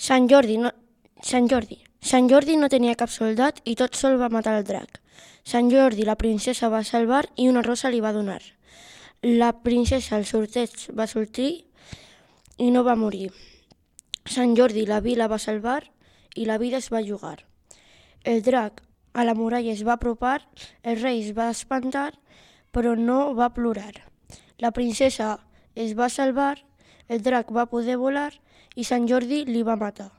Sant Jordi no, Sant Jordi. Sant Jordi no tenia cap soldat i tot sol va matar el drac. Sant Jordi la princesa va salvar i una rosa li va donar. La princesa al sorteig va sortir i no va morir. Sant Jordi la vila va salvar i la vida es va jugar. El drac a la muralla es va apropar, el rei es va espantar, però no va plorar. La princesa es va salvar, el drac va poder volar i Sant Jordi li va matar.